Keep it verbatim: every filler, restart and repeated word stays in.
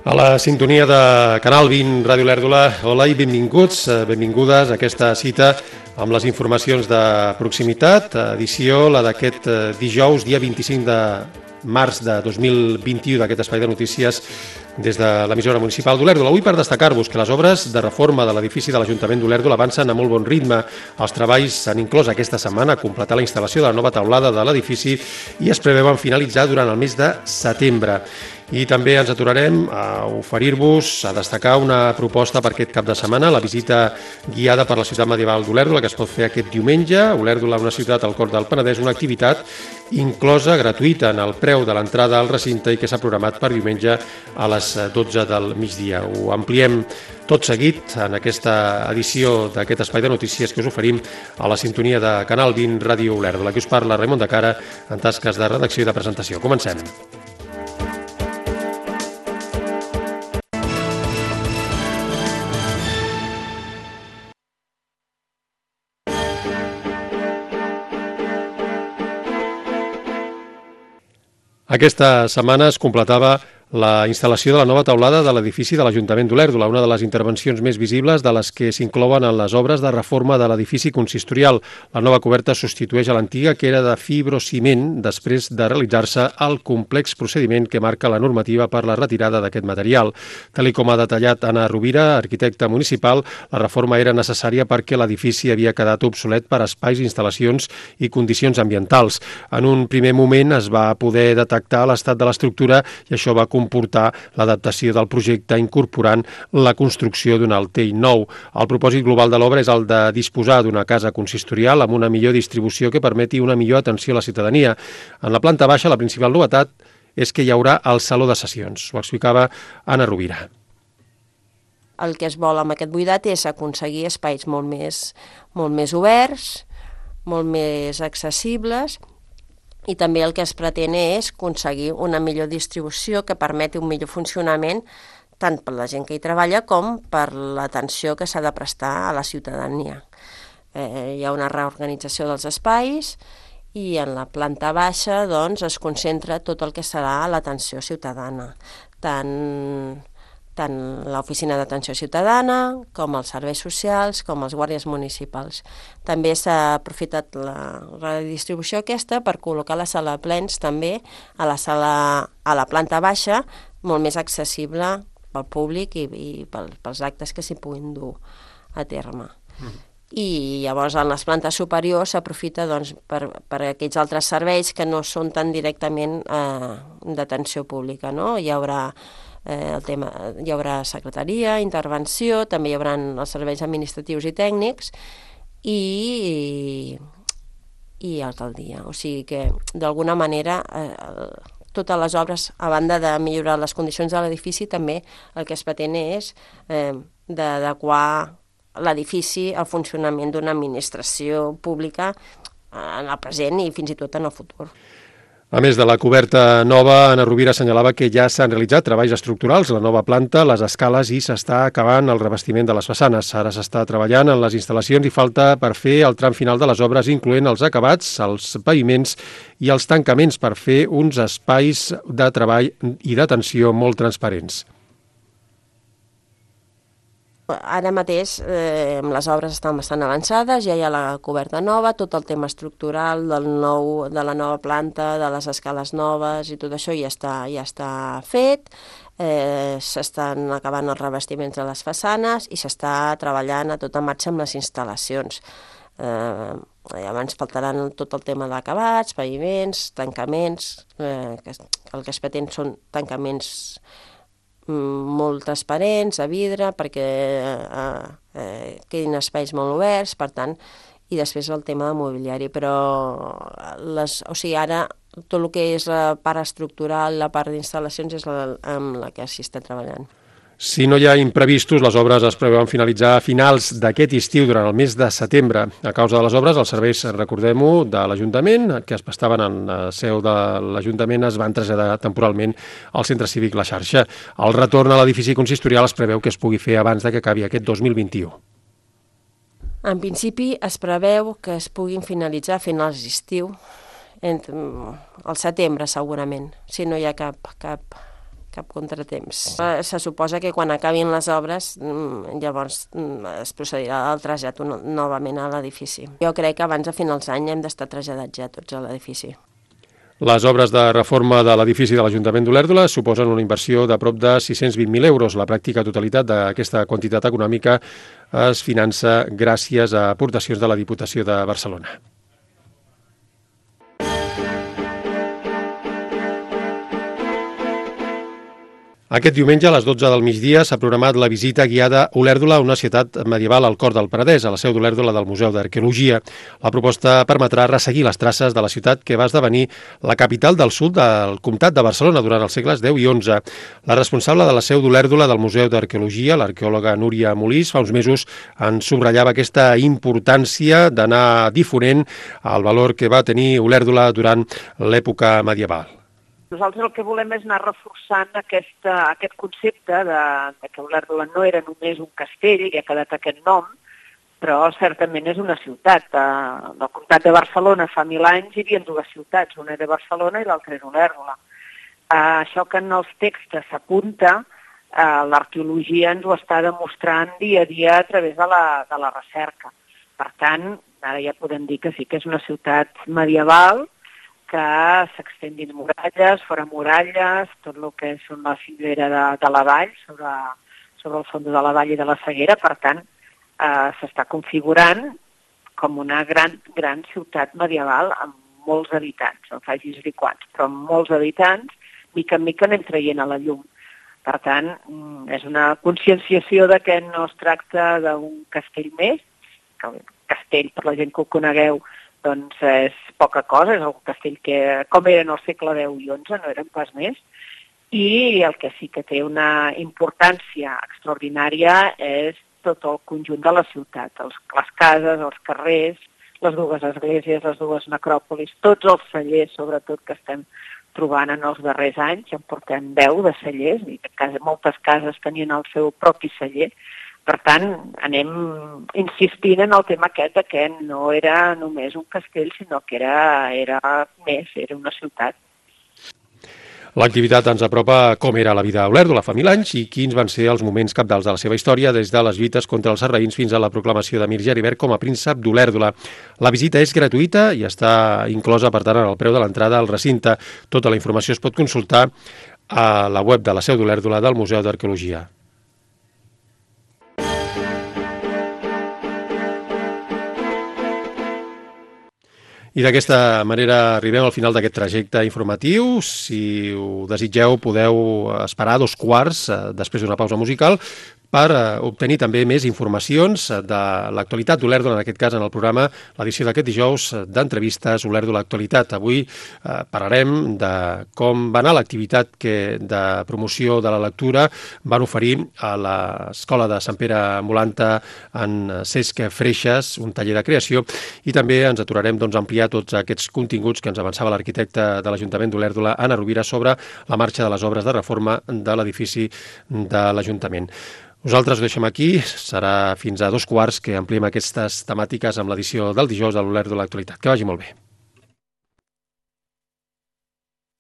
A la sintonia de Canal vint Ràdio Olèrdola, hola i benvinguts, benvingudes a aquesta cita amb les informacions de proximitat, edició la d'aquest dijous, dia vint-i-cinc de març de dos mil vint-i-u, d'aquest espai de notícies des de l'emissora municipal d'Olèrdola. Avui per destacar-vos que les obres de reforma de l'edifici de l'Ajuntament d'Olèrdola avancen a molt bon ritme. Els treballs s'han inclòs aquesta setmana a completar la instal·lació de la nova teulada de l'edifici i es preveuen finalitzar durant el mes de setembre. I també ens aturarem a oferir-vos, a destacar una proposta per aquest cap de setmana, la visita guiada per la ciutat medieval d'Olèrdola, que es pot fer aquest diumenge. Olèrdola, una ciutat al cor del Penedès, una activitat inclosa gratuïta en el preu de l'entrada al recinte i que s'ha programat per diumenge a les dotze del migdia. Ho ampliem tot seguit en aquesta edició d'aquest espai de notícies que us oferim a la sintonia de Canal vint Ràdio Olèrdola. Aquí us parla Raimon de Cara en tasques de redacció i de presentació. Comencem. Aquesta setmana es completava la instal·lació de la nova teulada de l'edifici de l'Ajuntament d'Olèrdola, una de les intervencions més visibles de les que s'inclouen en les obres de reforma de l'edifici consistorial. La nova coberta substitueix a l'antiga, que era de fibrociment, després de realitzar-se el complex procediment que marca la normativa per la retirada d'aquest material. Tal com ha detallat Anna Rovira, arquitecta municipal, la reforma era necessària perquè l'edifici havia quedat obsolet per espais, instal·lacions i condicions ambientals. En un primer moment es va poder detectar l'estat de l'estructura i això va comportar l'adaptació del projecte incorporant la construcció d'un altell nou. El propòsit global de l'obra és el de disposar d'una casa consistorial amb una millor distribució que permeti una millor atenció a la ciutadania. En la planta baixa, la principal novetat és que hi haurà el saló de sessions. Ho explicava Anna Rovira. El que es vol amb aquest buidat és aconseguir espais molt més, molt més oberts, molt més accessibles, i també el que es pretén és aconseguir una millor distribució que permeti un millor funcionament tant per la gent que hi treballa com per l'atenció que s'ha de prestar a la ciutadania. Eh, hi ha una reorganització dels espais i en la planta baixa doncs, es concentra tot el que serà l'atenció ciutadana, tant tant l'oficina d'atenció ciutadana, com els serveis socials, com els guàrdies municipals. També s'ha aprofitat la redistribució aquesta per col·locar la sala de plens també a la sala a la planta baixa, molt més accessible pel públic i, i pels actes que s'hi puguin dur a terme. Mm. I llavors en les plantes superiors s'aprofita doncs, per, per aquells altres serveis que no són tan directament eh, d'atenció pública, no? Hi haurà Eh, el tema, hi haurà secretaria, intervenció, també hi haurà els serveis administratius i tècnics i, i, i alcaldia. O sigui que, d'alguna manera, eh, totes les obres, a banda de millorar les condicions de l'edifici, també el que es pretén és eh, d'adequar l'edifici al funcionament d'una administració pública en el present i fins i tot en el futur. A més de la coberta nova, Anna Rovira assenyalava que ja s'han realitzat treballs estructurals, la nova planta, les escales i s'està acabant el revestiment de les façanes. Ara s'està treballant en les instal·lacions i falta per fer el tram final de les obres, incloent els acabats, els paviments i els tancaments per fer uns espais de treball i d'atenció molt transparents. Ara mateix eh, les obres estan bastant avançades, ja hi ha la coberta nova, tot el tema estructural del nou, de la nova planta, de les escales noves i tot això ja està, ja està fet, eh, s'estan acabant els revestiments de les façanes i s'està treballant a tota marxa amb les instal·lacions. Eh, llavors faltaran tot el tema d'acabats, paviments, tancaments, eh, que el que es pretén són tancaments molt transparents, a vidre, perquè eh, eh, quedin espais molt oberts, per tant, i després el tema de mobiliari, però les, o sigui, ara tot el que és la part estructural, la part d'instal·lacions és la, amb la que s'hi està treballant. Si no hi ha imprevistos, les obres es preveuen finalitzar a finals d'aquest estiu durant el mes de setembre. A causa de les obres, els serveis, recordem-ho, de l'Ajuntament, que es prestaven en la seu de l'Ajuntament, es van traslladar temporalment al Centre Cívic La Xarxa. El retorn a l'edifici consistorial es preveu que es pugui fer abans de que acabi aquest dos mil vint-i-u. En principi es preveu que es puguin finalitzar a finals d'estiu, al setembre segurament, si no hi ha cap, cap, cap contratemps. Se suposa que quan acabin les obres llavors es procedirà al trasllat novament a l'edifici. Jo crec que abans de finals d'any hem d'estar traslladats ja tots a l'edifici. Les obres de reforma de l'edifici de l'Ajuntament d'Olèrdola suposen una inversió de prop de sis-cents vint mil euros. La pràctica totalitat d'aquesta quantitat econòmica es finança gràcies a aportacions de la Diputació de Barcelona. Aquest diumenge a les dotze del migdia s'ha programat la visita guiada Olèrdola, una ciutat medieval al cor del Penedès, a la seu d'Olèrdola del Museu d'Arqueologia. La proposta permetrà resseguir les traces de la ciutat que va esdevenir la capital del sud del comtat de Barcelona durant els segles deu i onze. La responsable de la seu d'Olèrdola del Museu d'Arqueologia, l'arqueòloga Núria Molís, fa uns mesos en subratllava aquesta importància d'anar difonent el valor que va tenir Olèrdola durant l'època medieval. Nosaltres el que volem és anar reforçant aquest, aquest concepte de, de que Olèrdola no era només un castell, i ha quedat aquest nom, però certament és una ciutat. En el comtat de Barcelona fa mil anys hi havia dues ciutats, una era Barcelona i l'altra era Olèrdola. Això que en els textos s'apunta, l'arqueologia ens ho està demostrant dia a dia a través de la, de la recerca. Per tant, ara ja podem dir que sí que és una ciutat medieval, que s'extén dins muralles, fora muralles, tot el que és la fibera de, de la vall, sobre, sobre el fons de la vall i de la Seguera. Per tant, eh, s'està configurant com una gran, gran ciutat medieval amb molts habitants, no facis dir quants, però amb molts habitants, mica en mica anem traient a la llum. Per tant, és una conscienciació de que no es tracta d'un castell més, que el castell, per la gent que ho conegueu, doncs és poca cosa, és un castell que, com eren al segle deu i onze, no eren pas més, i el que sí que té una importància extraordinària és tot el conjunt de la ciutat, els, les cases, els carrers, les dues esglésies, les dues necròpolis, tots els cellers, sobretot, que estem trobant en els darrers anys, ja en portem deu de cellers, i moltes cases tenien el seu propi celler. Per tant, anem insistint en el tema aquest que no era només un castell, sinó que era, era més, era una ciutat. L'activitat ens apropa com era la vida a Olèrdola fa mil anys i quins van ser els moments cabdals de la seva història, des de les lluites contra els sarraïns fins a la proclamació d'Emir Geribert com a príncep d'Olèrdola. La visita és gratuïta i està inclosa, per tant, en el preu de l'entrada al recinte. Tota la informació es pot consultar a la web de la seu d'Olèrdola del Museu d'Arqueologia. I d'aquesta manera arribem al final d'aquest trajecte informatiu. Si ho desitgeu, podeu esperar dos quarts després d'una pausa musical per obtenir també més informacions de l'actualitat d'Olèrdola, en aquest cas en el programa, l'edició d'aquest dijous d'entrevistes Olèrdola Actualitat. Avui eh, parlarem de com va anar l'activitat que de promoció de la lectura van oferir a l'Escola de Sant Pere Molanta en Cesc Freixas, un taller de creació, i també ens aturarem doncs, a ampliar tots aquests continguts que ens avançava l'arquitecte de l'Ajuntament d'Olèrdola, Anna Rovira, sobre la marxa de les obres de reforma de l'edifici de l'Ajuntament. Nosaltres ho deixem aquí, serà fins a dos quarts que ampliem aquestes temàtiques amb l'edició del dijous de l'Olèrdola Actualitat. Que vagi molt bé.